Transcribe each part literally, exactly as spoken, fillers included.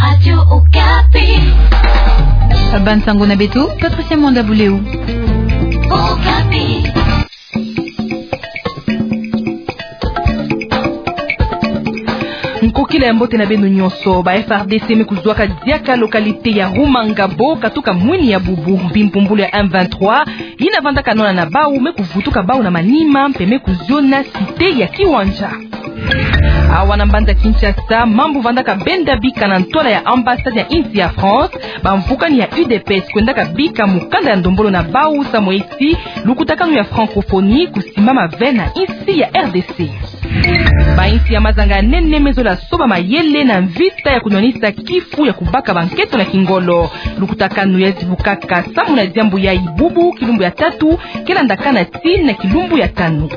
Radio Okapi. Bansango na beto, Patricia Mwanda Buleu. Okapi. Nkokila ya mbote na beno nyonso. Ba F R D C me kuzwaka diaka localité ya Rumangabo, katuka mwini ya bubu. Bimpumbulu ya M vingt-trois yina vandaka nwana na bau me kuvutuka bau na manima, mpe me kuziona cité ya Kiwanja. Awa na mbanza Kinshasa, mambu vandaka benda bika na ntwala ya ambassade ya insi ya France. Bamvukani ya U D P S kwendaka bika mukanda ya ndombolo na bau samu eti lukutakanu ya francophonie kusimbama ve na insi ya R D C. Ba insi ya mazanga ya nene me zola soba mayele na mvita ya kunwanisa kifu ya kubaka banketo na kingolo. Lukutakanu ya zibukaka samu na diambu yayi bubu kilumbu ya tatu, ke landakana tii na kilumbu ya tanu.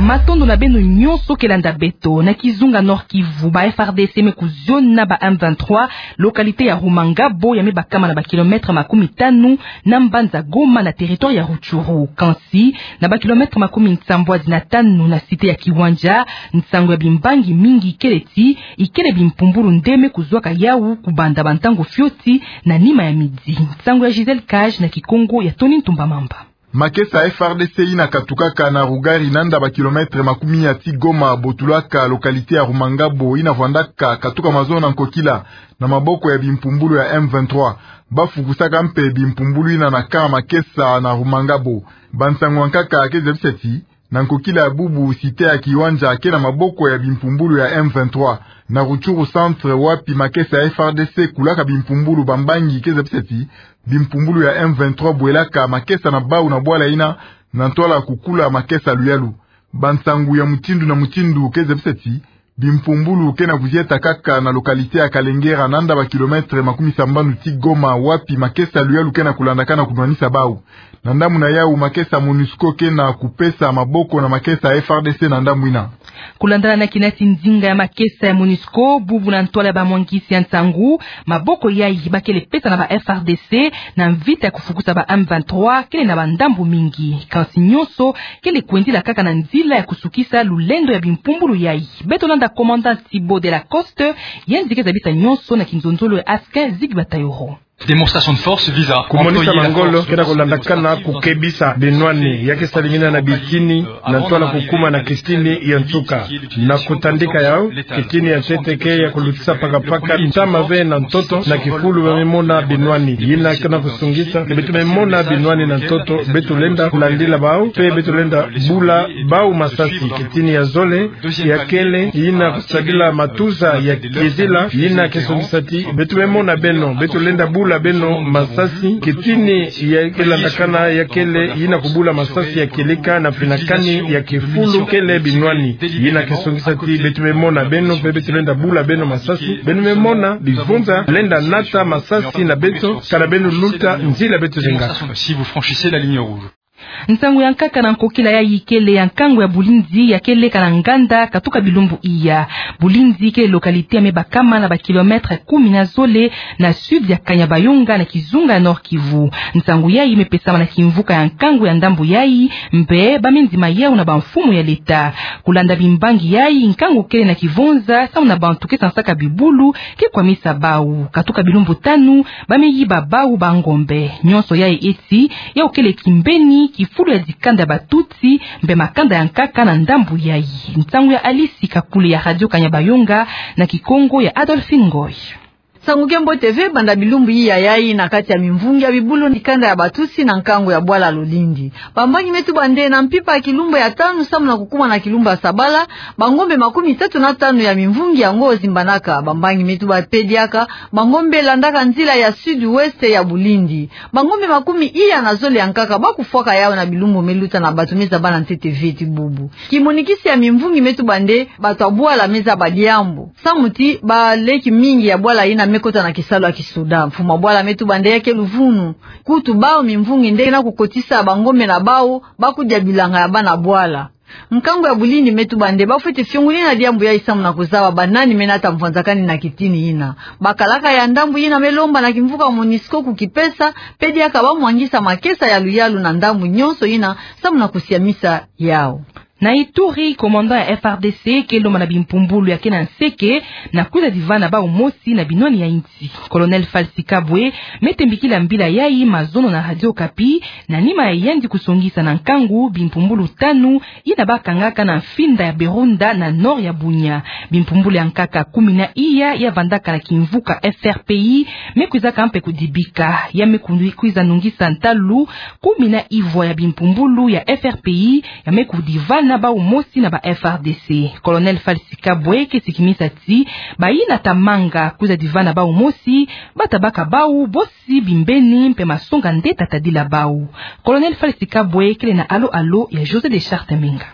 Matondo na beno nyonso ke landa beto. Na kizunga Nord-Kivu, ba F R D C me kuziona ba M vingt-trois localité ya Rumangabo, ya me bakama na ba kilomètre makumi tanu na mbanza Goma na territoire ya Rutshuru. Kansi, na ba kilomètre makumi nsambwadi na tanu na cité ya Kiwanja, nsangu ya bimbangi mingi ikele ti, ikele bimpumbulu nde me kuzwaka yau kubanda bantangu fioti na nima ya midi. Nsangu ya Gisèle Cage na Kikongo ya Tony Ntumba Mamba. Makesa ya F R D C yina katukaka na Rugari, nanda ba kilomètre makumi ya ti Goma, botulaka localité ya Rumangabo, yina vwandaka katuka mazono na nkokila na maboko ya bimpumbulu ya M vingt-trois. Bafukusaka mpe bimpumbulu yina na camp makesa na Rumangabo. Bansangu ya nkaka ke zabisa ti, na nkokila ya bubu, cité ya Kiwanja ke na maboko ya bimpumbulu ya M vingt-trois. Na Rutshuru centre, wapi makesa ya F R D C kulaka bimpumbulu, bambangi ke zabisa ti, bimpumbulu ya M vingt-trois bwelaka makesa na bau na bwala yina, na ntwala kukula makesa luyalu. Bansangu ya mutindu na mutindu ke zabisa ti, bimpumbulu ke na kuzieta kaka na localité ya Kalengera, nanda ba kilomètre makumi sambanu ti Goma, wapi makesa luyalu ke na kulandakana kunwanisa bau. Na ndambu na yau, makesa MONUSCO ke na kupesa maboko na makesa F R D C na ndambu yina. Kulandana na kinati nzinga ya makesa ya MONUSCO, bubu na ntwala ya bamwangisi ya nsangu, maboko yayi bakele pesa na ba F R D C na mvita ya kufukusa ba M vingt-trois kele na bandambu mingi. Kansi nyonso kele kwendila kaka na nzila ya kusukisa lulendo ya bimpumbulu yayi. Beto landa commandant Thibaut de la Coste, yandi ke zabisa nyonso na kinzonzolo ya Askin Zigba Tayoro. Démonstration de force vise à kumonisa employer la mangolo force kena kulandakana kukebisa binwani, ya ke salingina na bitini, na ntwala kukuma na kitini ya nsuka. Na kutandika yau, kitini ya ntete ke ya kulutisa pakapaka ntama ve na ntoto na kifulu ba me mona binwani. Yina kena kusungisa, beto me mona binwani na ntoto, beto lenda kulandila bau, mpe beto lenda bula bau masasi. Kitini ya zole, ya kele, yina kusadila matuza ya kiezila, yina ke sungisa ti, beto me mona beno, beto lenda bula beno masasi. Kitini ya ke landakana ya kele, yina kubula masasi ya kieleka na finakani ya kifulu kele binwani. Yina ke sungisa ti, beto me mona beno, mpe beto lenda bula beno masasi. Beno me mona bivunza lenda nata masasi na beto, kana beno luta nzila beto zenga. Si vous franchissez la ligne rouge. Nsangu ya nkaka na nkokila yayi kele ya nkangu ya Bulinzi ya ke leka na nganda katuka bilumbu iya. Bulinzi kele localité ya me bakama na ba kilomètre kumi na zole na sud ya Kanyabayonga na kizunga ya Nord-Kivu. Nsangu yayi me pesama na kimvuka ya nkangu ya ndambu yayi, mpe ba me nzima yau na bamfumu ya leta. Kulanda bimbangi yayi, nkangu kele na kivonza samu na bantu ke sansaka bibulu ke kwamisa bau. Katuka bilumbu tanu, ba me yiba bau bangombe. Nyonso yayi eti, yau kele kimbeni kifulu ya dikanda ya Batutsi, mpe makanda ya nkaka na ndambu yayi. Nsangu ya Alice Kakule ya Radio Kanyabayonga na Kikongo ya Adolphine Ngoy. Nsangu ke mbote ve, banda bilumbu iya yayi na kati ya mimvungi ya bibulu, dikanda ya Batutsi na nkangu ya bwala Lolindi. Bambangi me tuba nde na mpimpa ya kilumbu ya tanu samu na kukuma na kilumbu ya sabala, bangombe makumi tatu na tanu ya mimvungi yango zimbanaka. Bambangi me tuba mpe diaka, bangombe landaka nzila ya sud-ouest ya Bulinzi. Bangombe makumi iya na zole ya nkaka ba kufwaka yau na bilumbu me luta na bato me zaba na ntete ve ti bubu. Kimonikisi ya mimvungi me tuba nde bato ya bwala me zaba diambu. Samu ti baleki mingi ya bwala yina me kota na kisalu ya kisoda. Mfumu ya bwala me tuba nde ya ke luvunu. Kutu bau mimvungi nde na kukotisa bangombe na bau, ba kudia bilanga ya bana bwala. Nkangu ya Bulinzi me tuba nde ba fweti fiongunina diambu yayi samu na kuzaba banani me nata mvwanzakani na kitini yina. Bakalaka ya ndambu yina me lomba na kimvuka MONUSCO kukipesa, mpe diaka ba mwangisa makesa ya luyalu na ndambu nyonso yina samu na kusiamisa yau. Na Ituri, commandant ya F R D C ke lomba na bimpumbulu ya ke na nseke na kwiza divana bau mosi na binwani ya insi. Colonel Falsi Kabwe me tembikila mbila yayi mazono na Radio Okapi, na nima ya yandi kusongisa na nkangu bimpumbulu tanu yina bakangaka na mfinda ya Berunda na nord ya Bunia. Bimpumbulu ya nkaka kumi na iya ya vandaka na kimvuka F R P I me kwizaka mpe kudibika. Ya me ku-, kwiza nungisa ntalu kumi na ivwa ya bimpumbulu ya F R P I ya me kudivana bau mosi na ba F R D C. Colonel Falsi Kabwe ke sikimisa ti bayina ta manga kwiza divana bau mosi, bata baka bau bosi bimbeni mpe masonga nde ta tadila bau. Colonel Falsi Kabwe kele na alo-alo ya José de Charte Menga.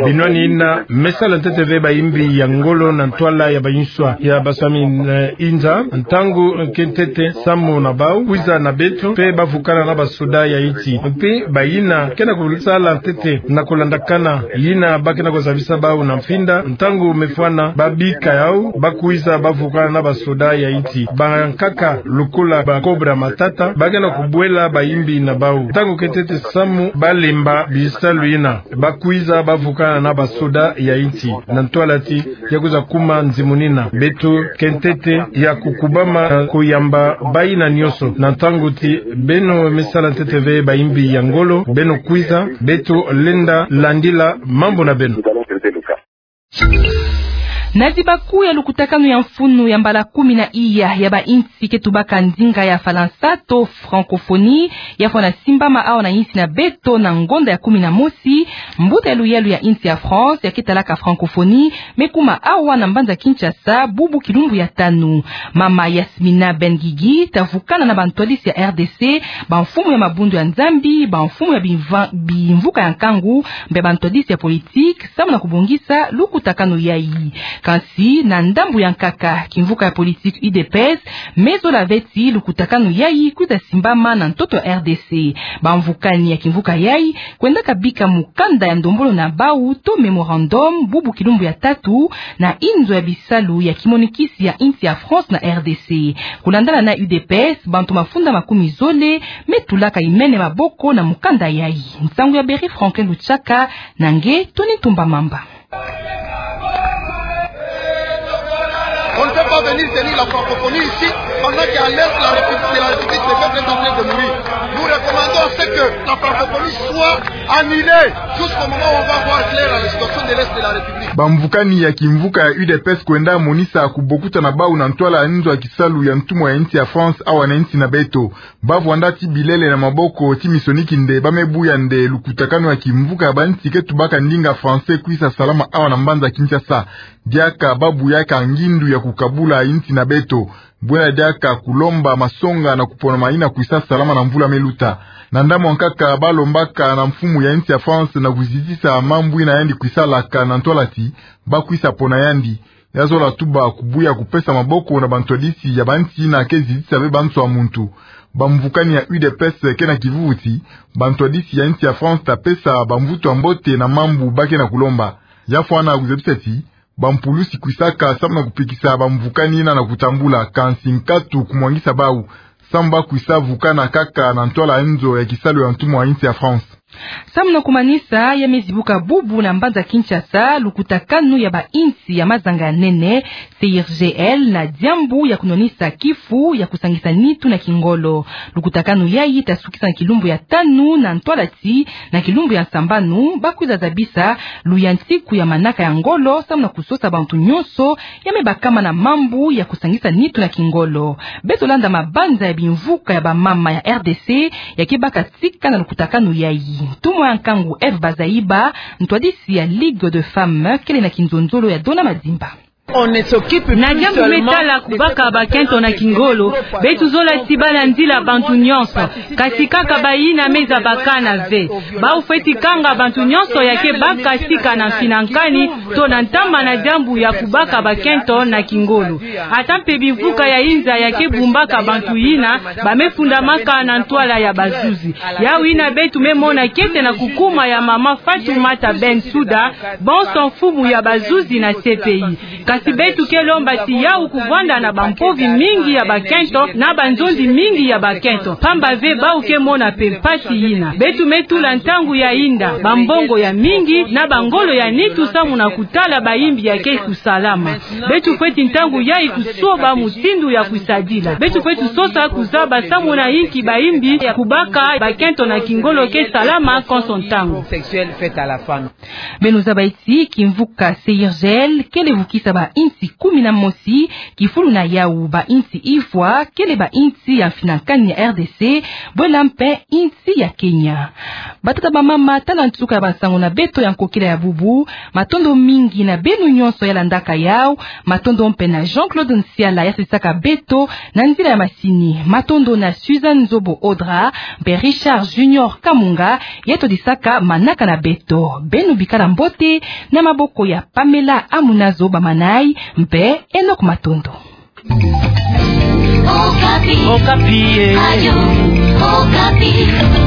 Binwani yina me sala ntete ve bayimbi ya ngolo na ntwala ya bayinswa ya baswami na inza, ntangu ke ntete samu na bau kwiza na beto mpe bavukana na basoda ya insi. Mpe bayina ke na kusala ntete na kulandakana yina ba ke na kuzabisa bau na mfinda, ntangu me fwana babika yau, bakwiza bavukana na basoda ya insi. Bankaka lokola ba Cobra Matata ba ke na kubwela bayimbi na bau. Ntangu ke ntete samu balemba bisalu yina, bakwiza bavukana na basoda ya insi na ntwala ti ya kwiza kuma nzimuni yina. Beto ke ntete ya kukubama kuyamba bayina nyonso na ntangu ti beno me sala ntete ve bayimbi ya ngolo, beno kwiza, beto lenda landila mambu na beno. Na dibaku ya lukutakanu ya mfunu ya mbala kumi na iya ya bainsi ke tubaka ndinga ya Falansa to francophonie, ya fwana simbama awa na insi na beto na ngonda ya kumi na mosi, mbuta ya luyalu ya insi ya France ya ke talaka francophonie me kuma awa na mbanza Kinshasa bubu kilumbu ya tanu. Mama Yasmina Ben Guigui ta vukana na bantwadisi ya R D C, bamfumu ya mabundu ya Nzambi, bamfumu ya bimva-, bimvuka ya nkangu, mpe bantwadisi ya politique, samu na kubongisa lukutakanu yayi. Kansi na ndambu ya nkaka, kimvuka ya politique U D P S me zola ve ti lukutakanu yayi kwiza simbama na ntoto ya R D C. Bamvukani ya kimvuka yayi kwendaka bika mukanda ya ndombolo na bau to mémorandum bubu kilumbu ya tatu na inzo ya bisalu ya kimonikisi ya insi ya France na R D C. Kulandana na U D P S, bantu mafunda makumi zole me tulaka imene maboko na mukanda yayi. Nsangu ya Berry Franklin Luchaka, na nge Tony Ntumba Mamba. On ne peut pas venir tenir la francophonie ici pendant qu'à l'est, la République, la République des peuples est en train de mourir. Nous recommandons à ce que la francophonie soit annulée jusqu'au moment où on va voir clair à la situation de l'est de la République. Bamvukani ya kimvuka ya U D P S kwenda monisa kubokuta na bau na ntwala ya nzo ya kisalu ya ntumwa ya insi ya France awa na insi na beto. Ba vwanda ti bilele na maboko ti minsoni kinde ba me buya nde lukutakanu ya kimvuka ya bainsi ke tubaka ndinga français kwisa salama awa na mbanza Kinshasa. Diaka ba buyaka ngindu ya kukabula insi na beto. Bwena diaka kulomba masonga na kupona mayina kwisa salama na mvula me luta. Na ndambu ya nkaka ba lombaka na mfumu ya insi ya France na kuzitisa mambu yina yandi kwisa laka na ntwala ti ba kwisa pona yandi. Ya zola tuba kubuya kupesa maboko na bantwadisi ya bainsi yina ke zitisa ve banso ya muntu. Bamvukani ya U D P S ke na kivuvu ti bantwadisi ya insi ya France ta pesa bamvutu ya mbote na mambu ba ke na kulomba. Ya fwana kuzebisa ti bampulusi kwisaka samu na kupikisa bamvukani yina na kutambula, kansi nkatu kumwangisa bau samu ba kwisa vukana kaka na ntwala ya nzo ya kisalu ya ntumwa ya insi ya France. Samu na kumanisa, ya me zibuka bubu na mbanza Kinshasa lukutakanu ya bainsi ya mazanga ya nene, C I R G L, na diambu ya kunwanisa kifu ya kusangisa nitu na kingolo. Lukutakanu yayi ta sukisa na kilumbu ya tanu na ntwala ti na kilumbu ya nsambanu ba kwiza zabisa luyantiku ya manaka ya ngolo samu na kusosa bantu nyonso ya me bakama na mambu ya kusangisa nitu na kingolo. Beto landa mabanza ya bimvuka ya bamama ya R D C ya ke baka tika na lukutakanu yayi. Ntumwa ya nkangu Eve Bazaiba, ntwadisi ya Ligue de Femmes, kele na kinzonzolo ya Dona Madimba. Na diambu me tala kubaka bakento na kingolo, beto zola ti ba landila bantu nyonso, kasi kaka bayina me zabakana ve. Bau fweti kanga bantu nyonso ya ke baka tika na mfinankani to na ntama na diambu ya kubaka bakento na kingolo. Ata mpe bimvuka ya inza ya ke bumbaka bantu yina ba me fundamaka na ntwala ya bazuzi. Yawu yina beto me mona kiese na kukuma ya mama Fatoumata Bensouda, bonso mfumu ya bazuzi na C P I. Beto ke lomba ti yawu kuvwanda na bampovi mingi ya bakento, na banzonzi mingi ya bakento. Pamba ve bawu ke mona mpe mpasi yina. Beto me tula ntangu ya yinda, bambongo ya mingi, na bangolo ya nitu samu na kutala bayimbi ya ke kusalama. Beto fweti ntangu yayi kusoba mutindu ya kwisadila. Beto fweti sosa kuzaba samu na inki bayimbi ya kubaka bakento na kingolo ke salama konso ntangu. Beno zaba ti kimvuka CIRGL kele vukisa bainsi kumi na mosi kifulu na yawu, bainsi ifwa kele bainsi ya mfinankani ya RDC, bwela mpe insi ya Kenya. Batata bamama, tala nsuka ya bansango na beto ya nkokila ya bubu. Matondo mingi na beno nyonso ya landaka yawu. Matondo mpe na Jean-Claude Nsiala ya sadisaka beto na nzila ya masini. Matondo na Suzanne Nzobo Audra, mpe Richard Junior Kamunga, ya todisaka manaka na beto. Beno bikala mbote, na maboko ya Pamela Amunazo bamanayi, mpe Enoch Matondo. Okapi. Okapi, eh. Radio Okapi.